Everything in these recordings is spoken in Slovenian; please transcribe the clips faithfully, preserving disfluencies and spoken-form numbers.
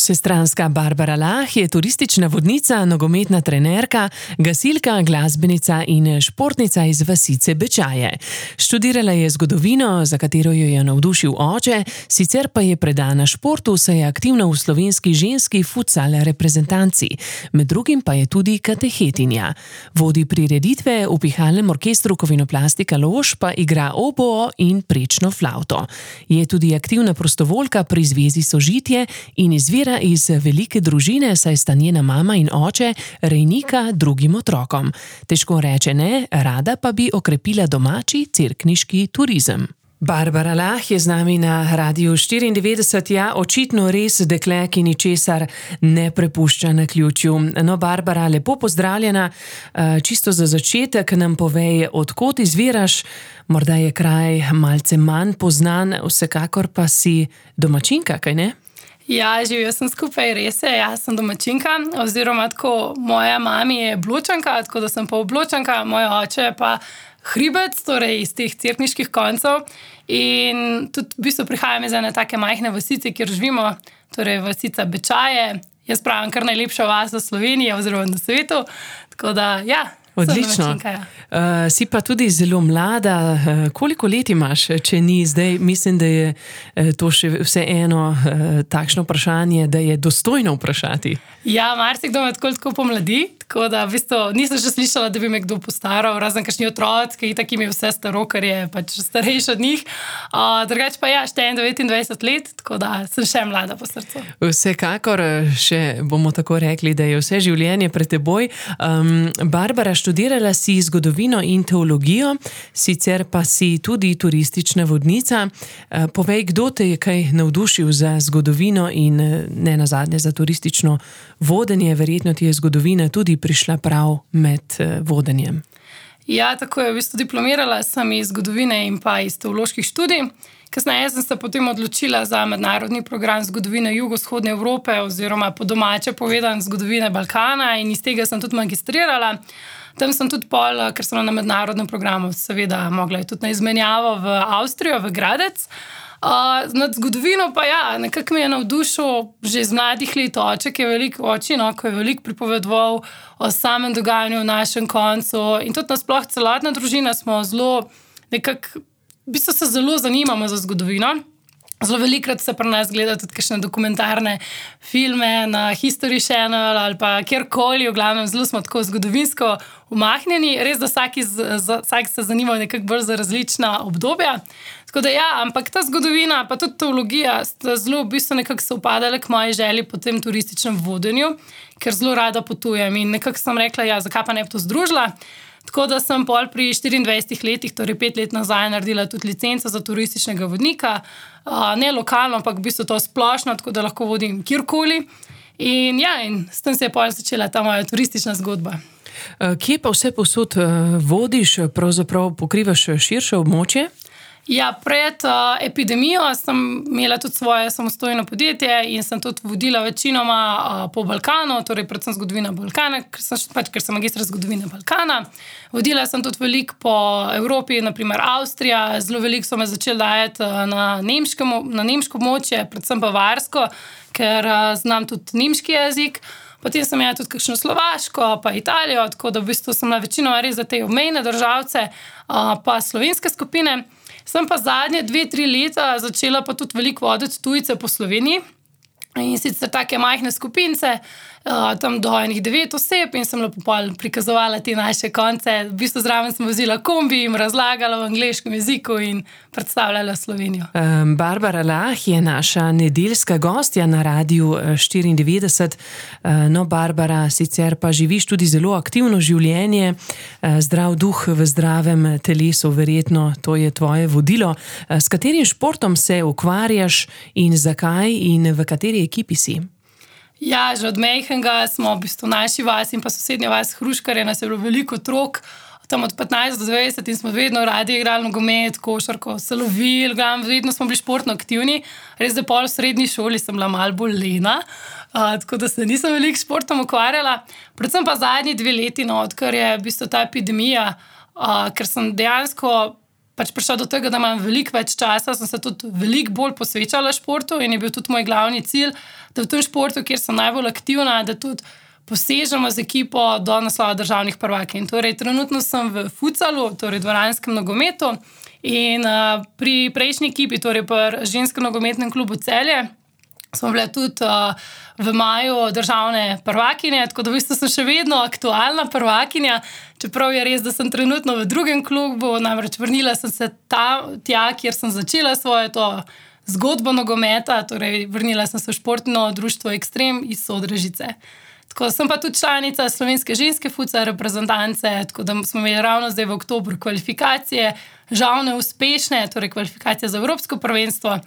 Vsestranska Barbara Lah je turistična vodnica, nogometna trenerka, gasilka, glasbenica in športnica iz vasice Bečaje. Študirala je zgodovino, za katero jo je navdušil oče, sicer pa je predana športu, saj je aktivna v slovenski ženski futsal reprezentanci. Med drugim pa je tudi katehetinja. Vodi prireditve, v pihalnem orkestru Kovinoplastika Lož pa igra oboo in prečno flavto. Je tudi aktivna prostovoljka pri Zvezi Sožitje in izvira iz velike družine, saj sta njena mama in oče rejnika drugim otrokom. Težko reče ne, rada pa bi okrepila domači cerkniški turizem. Barbara Lah je z nami na Radiu štiriindevetdeset, ja, očitno res dekle, ki ničesar ne prepušča naključju. No, Barbara, lepo pozdravljena. Čisto za začetek nam povej, od kod izviraš, morda je kraj malce manj poznan, vsekakor pa si domačinka, kaj ne? Ja, živijo sem skupaj, res je, jaz sem domačinka, oziroma tako, moja mami je Bločanka, tako da sem pa Bločanka, moj oče pa Hribec, torej iz teh cerkniških koncev, in tudi v bistvu prihajam iz ene take majhne vasice, kjer živimo, torej vasica Bečaje, jaz pravim kar najlepša vas v Sloveniji oziroma na svetu, tako da ja. Odlično. Ja. Uh, si pa tudi zelo mlada. Uh, koliko let imaš, če ni zdaj? Mislim, da je uh, to še vseeno uh, takšno vprašanje, da je dostojno vprašati. Ja, marsikdo me tako tako pomladi, tako da v bistvu nisem še slišala, da bi me kdo postaral, razen kakšni otroci, ki itak jim je vse staro, ker je pač starejši od njih. Uh, drugače pa ja, štejem devetindvajset let, tako da sem še mlada po srcu. Vsekakor še bomo tako rekli, da je vse življenje pred teboj. Um, Barbara, študirala si zgodovino in teologijo, sicer pa si tudi turistična vodnica. Povej, kdo te je kaj navdušil za zgodovino in ne nazadnje za turistično vodenje? Verjetno ti je zgodovina tudi prišla prav med vodenjem. Ja, tako je. V bistvu diplomirala sem iz zgodovine in pa iz teoloških študij. Kasneje sem se potem odločila za mednarodni program zgodovine jugovzhodne Evrope oziroma po domače povedan zgodovine Balkana in iz tega sem tudi magistrirala. Tam sem tudi pol, ker sem na mednarodnem programu seveda mogla tudi na izmenjavo v Avstrijo, v Gradec. Uh, nad zgodovino pa ja, nekako me je navdušil že iz mladih let oče, ki je veliko oči, no, ko je veliko pripovedoval o samem dogajanju v našem koncu in tudi nasploh celotna družina smo zelo nekako, v bistvu se zelo zanimamo za zgodovino. Zelo velikrat se pri nas gleda tudi kakšne dokumentarne filme na History Channel ali pa kjerkoli, v glavnem zelo smo tako zgodovinsko umahnjeni, res da vsak, iz, za, vsak se zanima nekako bolj za različna obdobja. Tako da ja, ampak ta zgodovina pa tudi teologija sta zelo v bistvu nekako se upadale k moji želji po tem turističnem vodenju, ker zelo rada potujem in nekako sem rekla, ja, zakaj pa ne bi to združila. Tako da sem pol pri štiriindvajsetih letih, torej pet let nazaj, naredila tudi licenco za turističnega vodnika. Ne lokalno, ampak v bistvu to splošno, tako da lahko vodim kjerkoli. In ja, in s tem se je pol začela ta moja turistična zgodba. Kje pa vse posod vodiš, pravzaprav pokrivaš širše območje? Ja, pred uh, epidemijo sem imela tudi svoje samostojno podjetje in sem tudi vodila večinoma uh, po Balkanu, torej predvsem zgodovina Balkana, ker sem, pač, ker sem magistra zgodovine Balkana. Vodila sem tudi veliko po Evropi, naprimer Avstrija, zelo veliko so me začeli dajati uh, na, nemškem, na nemško območje, predvsem bavarsko, ker uh, znam tudi nemški jezik. Potem sem imela tudi kakšno Slovaško, pa Italijo, tako da v bistvu sem na večinoma res za te obmejne državce, uh, pa slovenske skupine. Sem pa zadnje dve, tri leta začela pa tudi veliko voditi tujce po Sloveniji in sicer take majhne skupince, tam do enih devet oseb in sem lepo prikazovala te naše konce. V bistvu zraven sem vozila kombi, jim razlagala v angleškem jeziku in predstavljala Slovenijo. Um, Barbara Lah je naša nedeljska gostja na Radiu štiriindevetdeset. Uh, no, Barbara, sicer pa živiš tudi zelo aktivno življenje, uh, zdrav duh v zdravem telesu, verjetno to je tvoje vodilo. Uh, s katerim športom se ukvarjaš in zakaj in v kateri ekipi si? Ja, že od majhnega smo v bistvu naši vas in pa sosednja vas Hruškarje, nas je bilo veliko otrok, tam od petnajst do dvajset in smo vedno radi igrali nogomet, košarko, se lovili, vedno smo bili športno aktivni. Res da pol v srednji šoli sem bila malo bolj lena, uh, tako da se nisem veliko športom ukvarjala. Predvsem pa zadnji dve leti, no, odkar je v bistvu ta epidemija, uh, ker sem dejansko pač prišla do tega, da imam veliko več časa, sem se tudi veliko bolj posvečala športu in je bil tudi moj glavni cilj, da v tem športu, kjer sem najbolj aktivna, da tudi posežemo z ekipo do naslova državnih prvakinj. Torej, trenutno sem v futsalu, torej dvoranskem nogometu in uh, pri prejšnji ekipi, torej pri ženskem nogometnem klubu Celje, smo bile tudi uh, v maju državne prvakinje, tako da v bistvu sem še vedno aktualna prvakinja, čeprav je res, da sem trenutno v drugem klubu, namreč vrnila sem se ta, tja, kjer sem začela svoje to zgodbo nogometa, torej vrnila sem se v športno društvo Ekstrem iz Sodražice. Tako sem pa tudi članica slovenske ženske futsal reprezentance, tako da smo imeli ravno zdaj v oktobru kvalifikacije, žal neuspešne, torej kvalifikacije za Evropsko prvenstvo,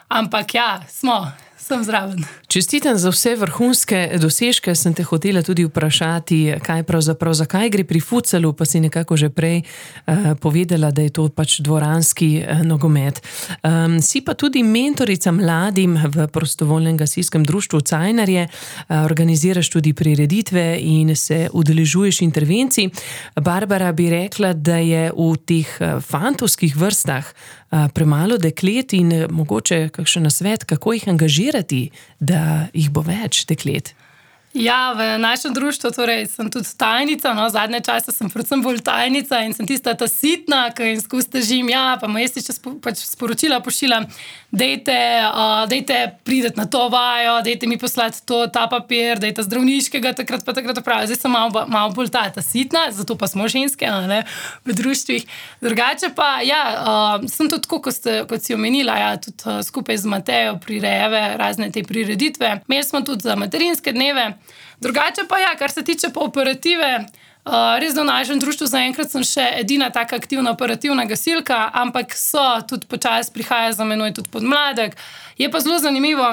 ampak ja, smo, sem zraven. Čestitam za vse vrhunske dosežke, sem te hotela tudi vprašati, kaj pravzaprav, zakaj gre pri futsalu, pa si nekako že prej uh, povedala, da je to pač dvoranski uh, nogomet. Um, si pa tudi mentorica mladim v prostovoljnem gasilskem društvu Cajnarje, uh, organiziraš tudi prireditve in se udeležuješ intervencij. Barbara, bi rekla, da je v teh uh, fantovskih vrstah uh, premalo deklet in uh, mogoče kakšen nasvet, kako jih angažirati, da jih bo več deklet? Ja, v našem društvu torej sem tudi tajnica, no, zadnje čase sem predvsem bolj tajnica in sem tista ta sitna, ki jim skozi težim, ja, pa moj jesti, če spo, pač sporočila pošiljam, dejte, uh, dejte prideti na to vajo, dejte mi poslati to, ta papir, dejte zdravniškega, takrat pa takrat opravljati. Zdaj sem malo, malo bolj ta, ta sitna, zato pa smo ženske, ne, v društvih. Drugače pa, ja, uh, sem tudi tako, kot, ste, kot si omenila, ja, tudi uh, skupaj z Matejo prirejeve razne te prireditve. Imeli smo tudi za materinske dneve. Drugače pa ja, kar se tiče pa operative, uh, res da v našem društvu zaenkrat sem še edina taka aktivna operativna gasilka, ampak so tudi počasi prihaja za menoj tudi podmladek. Je pa zelo zanimivo,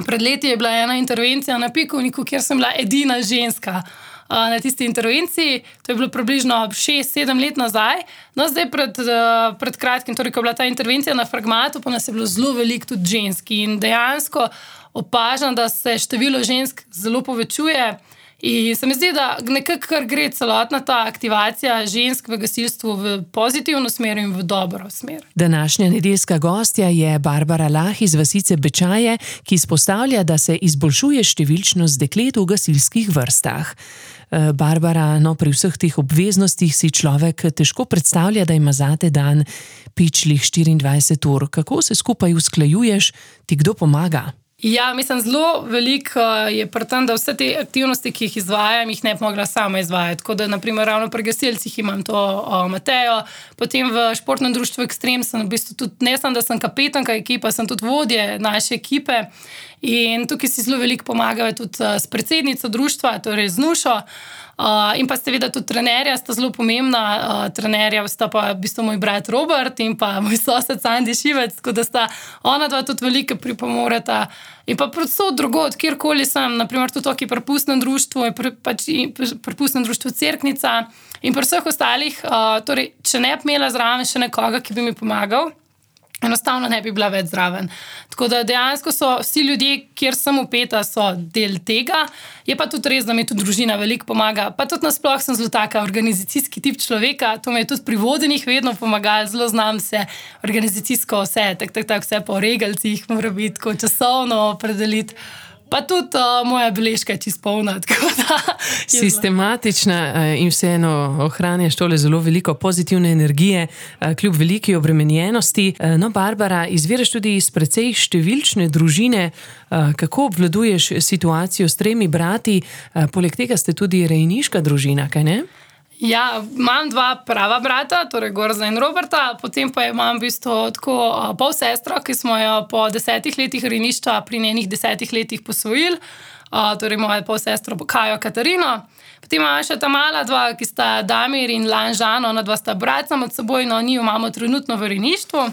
pred leti je bila ena intervencija na Pikovniku, kjer sem bila edina ženska uh, na tisti intervenciji, to je bilo približno šest sedem let nazaj. No, zdaj pred, uh, pred kratkim, torej, ko je bila ta intervencija na Fragmatu, pa nas je bilo zelo veliko tudi ženski in dejansko opažam, da se število žensk zelo povečuje in se mi zdi, da nekako kar gre celotna ta aktivacija žensk v gasilstvu v pozitivno smer in v dobro smer. Današnja nedeljska gostja je Barbara Lah iz vasice Bečaje, ki izpostavlja, da se izboljšuje številčnost deklet v gasilskih vrstah. Barbara, no, pri vseh teh obveznostih si človek težko predstavlja, da ima zate dan pičlih štiriindvajset ur. Kako se skupaj usklajuješ, ti kdo pomaga? Ja, mislim, zelo veliko je pri tem, da vse te aktivnosti, ki jih izvajam, jih ne bi mogla sama izvajati. Tako da, naprimer, ravno pri gasilcih imam to o, Matejo, potem v športnem društvu Ekstrem sem v bistvu tudi, ne samo, da sem kapetanka ekipa, sem tudi vodje naše ekipe in tukaj si zelo veliko pomagajo tudi s predsednico društva, torej z Nušo. Uh, in pa seveda tudi trenerja sta zelo pomembna, uh, trenerja sta pa v bistvu moj brat Robert in pa moj sosed Sandi Šivec, tako da sta ona dva tudi veliko pripomoreta. In pa predvsem drugod, kjerkoli sem, naprimer tudi tukaj pri pustnem društvu, pri, pač, pri pustnem društvu Cerknica in pri vseh ostalih, uh, torej, če ne bi imela zraven še nekoga, ki bi mi pomagal, enostavno ne bi bila več zraven. Tako da dejansko so vsi ljudje, kjer sem upeta, so del tega. Je pa tudi res, da mi tudi družina veliko pomaga. Pa tudi nasploh sem zelo taka organizacijski tip človeka. To mi je tudi pri vodenjih vedno pomagalo. Zelo znam se organizacijsko vse, tak, tak, tak, vse po regalcih mora biti, ko časovno opredeliti. Pa tudi uh, moja beležka je čisto polna. Sistematična in vseeno ohranjaš tole zelo veliko pozitivne energije, kljub veliki obremenjenosti. No, Barbara, izviraš tudi iz precej številčne družine. Kako obvladuješ situacijo s tremi brati? Poleg tega ste tudi rejniška družina, kaj ne? Ja, imam dva prava brata, torej Gorza in Roberta, potem pa imam v bistvu tako pol sestro, ki smo jo po desetih letih rejništva pri njenih desetih letih posvojili, torej moja pol sestro Kajo Katarino. Potem imam še ta mala dva, ki sta Damir in Lanžan, ona dva sta bratca med seboj, no njiju imamo trenutno v rejništvu,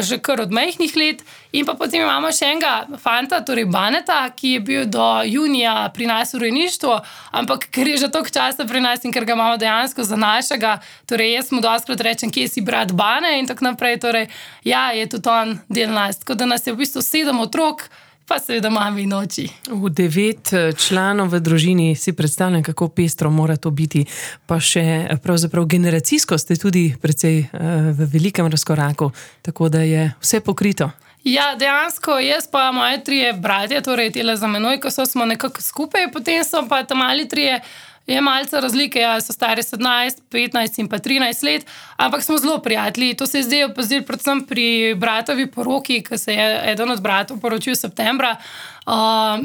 že kar od majhnih let. In pa potem imamo še enega fanta, torej Baneta, ki je bil do junija pri nas v rejništvu, ampak ker je že toliko časa pri nas in ker ga imamo dejansko za našega, torej jaz mu dostikrat rečem, kje si brat Bane in tako naprej, torej ja, je tudi on del nas. Tako da nas je v bistvu sedem otrok, pa seveda mami in oči. V devet članov v družini si predstavljam, kako pestro mora to biti. Pa še pravzaprav generacijsko ste tudi precej v velikem razkoraku, tako da je vse pokrito. Ja, dejansko jaz pa moje trije bratje, torej tele za menoj, ko so smo nekako skupaj, potem so pa tam mali trije, je malce razlike, ja, so stari sedemnajst, petnajst in pa trinajst let, ampak smo zelo prijatelji. To se je zdaj opazilo predvsem pri bratovi poroki, ko se je eden od bratov poročil septembra. Uh,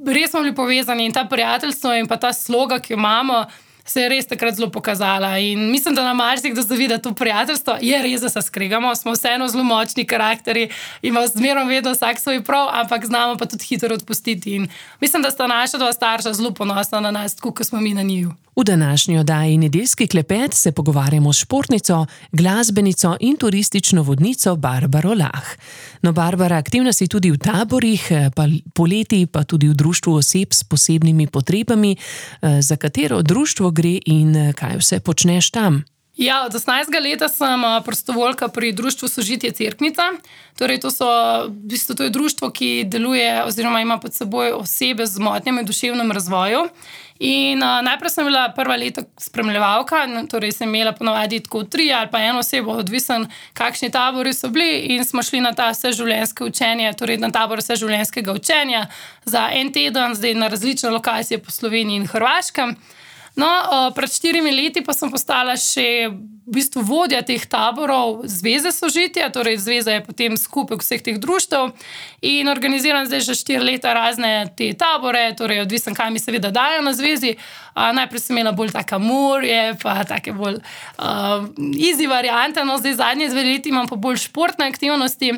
res smo bili povezani in ta prijateljstvo in pa ta sloga, ki jo imamo, se je res takrat zelo pokazala. In mislim, da nam marsikdo zavida to prijateljstvo. Je res, da se skregamo, smo vseeno zelo močni karakteri, imamo zmerom vedno vsak svoj prav, ampak znamo pa tudi hitro odpustiti. In mislim, da sta naša dva starša zelo ponosna na nas, tako kot smo mi na njiju. V današnji oddaji Nedeljski klepet se pogovarjamo s športnico, glasbenico in turistično vodnico Barbaro Lah. No, Barbara, aktivna si tudi v taborih, pa poleti pa tudi v društvu oseb s posebnimi potrebami. Za katero društvo gre in kaj vse počneš tam? Ja, od osemnajstega leta sem prostovoljka pri društvu Sožitje Cerknica. Torej, to, so, v bistvu, to je društvo, ki deluje oziroma ima pod seboj osebe z motnjami v duševnem razvoju. In uh, najprej sem bila prva leta spremljevalka, torej sem imela ponovadi tako tri ali pa eno osebo, odvisen, kakšni tabori so bili, in smo šli na ta vseživljenjske učenje, torej na tabor vseživljenjskega učenja za en teden, zdaj na različne lokacije po Sloveniji in Hrvaškem. No, pred štirimi leti pa sem postala še v bistvu vodja teh taborov Zveze Sožitja, torej zveza je potem skupek vseh teh društev in organiziram zdaj že štiri leta razne te tabore, torej odvisen, kaj mi seveda dajo na zvezi. A, najprej sem imela bolj taka morje, pa take bolj uh, easy variante, no zdaj zadnje dve leti imam pa bolj športne aktivnosti.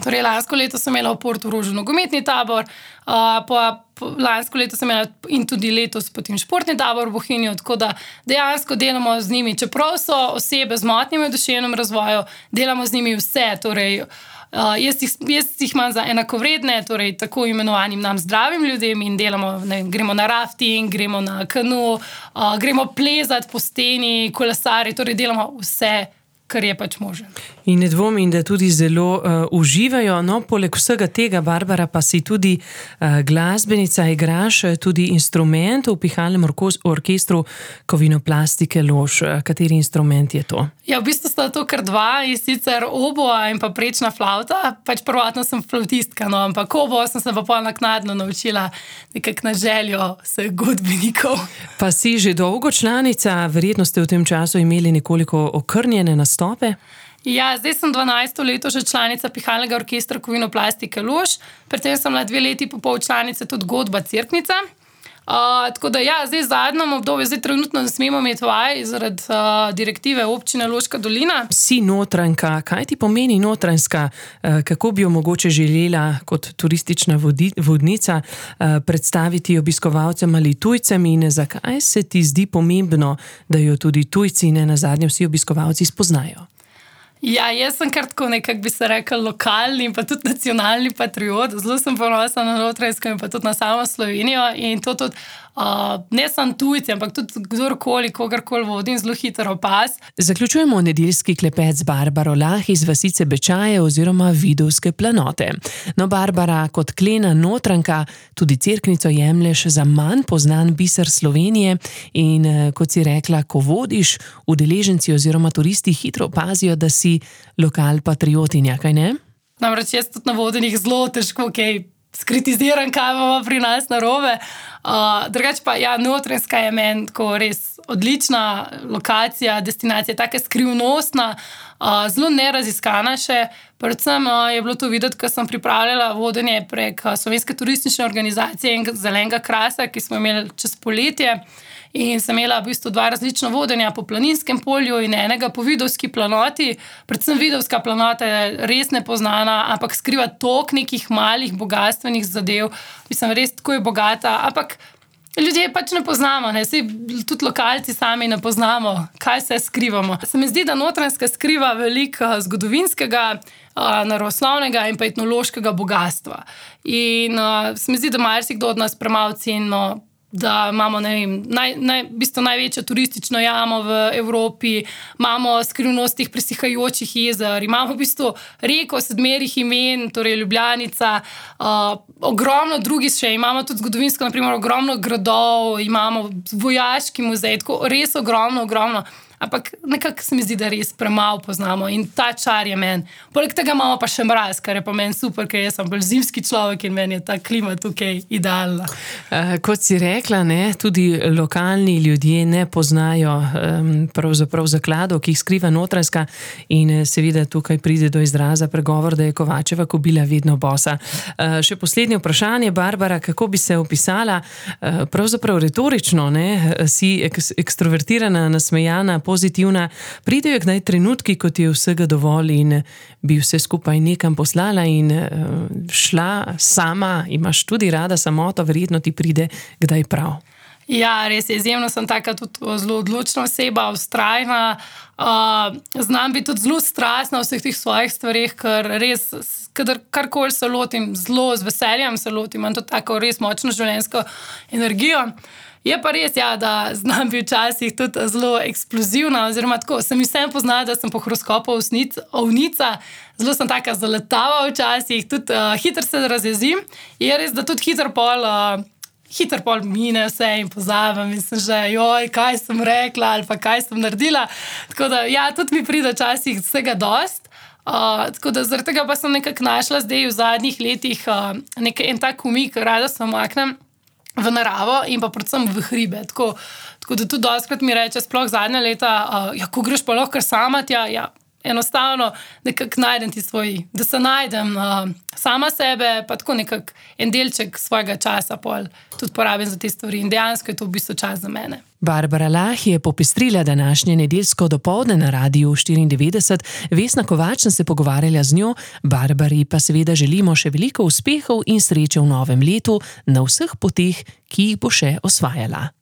Torej, lansko leto sem imela v Portorožu nogometni tabor, uh, pa lansko leto sem imela in tudi letos potem športni tabor v Bohinju, tako da dejansko delamo z njimi, čeprav so osebe z motnjami v duševnem razvoju, delamo z njimi vse, torej uh, jaz, jih, jaz jih imam za enakovredne, torej tako imenovanim nam zdravim ljudem in delamo, ne, gremo na rafting, gremo na kanu, uh, gremo plezati po steni, kolesari, torej delamo vse, kar je pač možen. In ne dvomim, da tudi zelo uh, uživajo. No, poleg vsega tega, Barbara, pa si tudi uh, glasbenica, igraš tudi instrument v pihalnem orkestru Kovinoplastike Lož. Kateri instrument je to? Ja, v bistvu sta to kar dva, in sicer oboa in pa prečna flavta. Pač prvotno sem flavtistka, no, ampak oboa sem se pa pol naknadno naučila nekako na željo vseh godbenikov. Pa si že dolgo članica, verjetno ste v tem času imeli nekoliko okrnjene nastope. Ja, zdaj sem dvanajsto leto že članica pihalnega orkestra Kovinoplastike Lož, predtem sem bila dve leti pa pol članica tudi godba Cerknica. Uh, tako da ja, zdaj v zadnjem obdobju, zdaj trenutno ne smemo imeti vaj zaradi uh, direktive občine Loška dolina. Si notranjka, kaj ti pomeni notranjska? Uh, kako bi jo mogoče želela kot turistična vodi, vodnica uh, predstaviti obiskovalcem ali tujcem in zakaj se ti zdi pomembno, da jo tudi tujci in nazadnje vsi obiskovalci spoznajo? Ja, jaz sem kar tako nekak bi se rekel lokalni in pa tudi nacionalni patriot. Zelo sem ponosna na Notranjsko in pa tudi na samo Slovenijo in to tudi uh, ne samo tujci, ampak tudi kdorkoli, kogarkoli vodim, zelo hitro opaz. Zaključujemo nedeljski klepet z Barbaro Lah iz vasice Bečaje oziroma Vidovske planote. No, Barbara, kot klena Notranjka tudi Cerknico jemlješ za manj poznan biser Slovenije in kot si rekla, ko vodiš, udeleženci oziroma turisti hitro opazijo, da si lokal patriotinja, kaj ne? Namreč jaz tudi na vodenjih zelo težko, kaj skritiziram, kaj imamo pri nas narobe. Uh, drugače pa, ja, Notranjska je meni tako res odlična lokacija, destinacija, taka skrivnostna, uh, zelo neraziskana še. Predvsem uh, je bilo to videti, ko sem pripravljala vodenje prek uh, Slovenske turistične organizacije in Zelenega krasa, ki smo imeli čez poletje. In sem imela v bistvu dva različna vodenja po Planinskem polju in enega po Vidovski planoti. Predvsem Vidovska planota je res nepoznana, ampak skriva toliko nekih malih bogatstvenih zadev. Mislim, res tako je bogata, ampak ljudje pač ne poznamo, ne? Saj tudi lokalci sami ne poznamo, kaj se skrivamo. Se mi zdi, da Notranjska skriva veliko zgodovinskega, naravoslovnega in pa etnološkega bogatstva. In uh, se mi zdi, da marsikdo od nas premalo cenimo da imamo ne vem, naj, naj, v bistvu največjo turistično jamo v Evropi, imamo skrivnost teh presihajočih jezer, imamo v bistvu reko sedmerih imen, torej Ljubljanica, uh, ogromno drugih še, imamo tudi zgodovinsko, naprimer, ogromno gradov, imamo vojaški muzej, tako res ogromno, ogromno. Ampak nekako se mi zdi, da res premalo poznamo in ta čar je meni. Poleg tega imamo pa še mraz, kar je pa meni super, ker jaz sem bolj zimski človek in meni je ta klima tukaj idealna. Uh, kot si rekla, ne, tudi lokalni ljudje ne poznajo um, pravzaprav zakladov, ki jih skriva Notranjska in seveda tukaj pride do izraza pregovor, da je Kovačeva kobila vedno bosa. Uh, še poslednje vprašanje, Barbara, kako bi se opisala, uh, pravzaprav retorično, ne, si ek ekstrovertirana, nasmejana, pozitivna, pridejo kdaj trenutki, kot je vsega dovolj in bi vse skupaj nekam poslala in uh, šla sama, imaš tudi rada samoto, verjetno ti pride kdaj prav. Ja, res je, izjemno sem taka tudi zelo odločna oseba, vztrajna, uh, znam biti tudi zelo strastna v vseh teh svojih stvareh, ker res, kadar karkoli se lotim, zelo z veseljem se lotim, imam to tako res močno življenjsko energijo. Je pa res, ja, da znam biti včasih tudi zelo eksplozivna, oziroma tako, sem vsem poznala, da sem po horoskopu ovnica, zelo sem taka zaletava včasih, tudi uh, hitro se razjezim, je res, da tudi hitro pol, uh, hitro pol mine vse in pozabim in sem že, joj, kaj sem rekla ali pa kaj sem naredila, tako da, ja, tudi mi pride včasih vsega dost. Uh, tako da zaradi tega pa sem nekako našla zdaj v zadnjih letih uh, nek, en tak umik, rada se omaknem v naravo in pa predvsem v hribe. Tako, tako da tudi dostikrat mi reče, sploh zadnja leta, uh, ja, ko greš pa lahko kar sama tja, ja, enostavno nekako najdem ti svoj, da se najdem uh, sama sebe, pa tako nekako en delček svojega časa pol tudi porabim za te stvari in dejansko je to v bistvu čas za mene. Barbara Lah je popestrila današnje nedeljsko dopoldne na Radiu štiriindevetdeset. Vesna Kovač sem se pogovarjala z njo, Barbari pa seveda želimo še veliko uspehov in sreče v novem letu na vseh poteh, ki jih bo še osvajala.